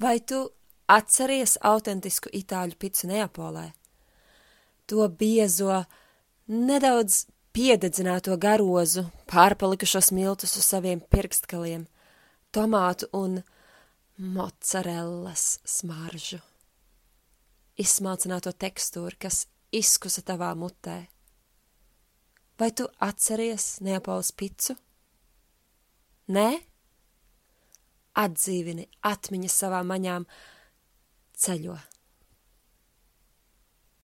Vai tu atceries autentisku itāļu picu Neapolē? To biezo, nedaudz piededzināto garozu, pārpalikušos miltus uz saviem pirkstgaliem, tomātu un mocarellas smaržu, izsmalcināto tekstūru, kas izkusa tavā mutē. Vai tu atceries Neapoles picu? Nē? Atdzīvini atmiņas savām maņām, ceļo.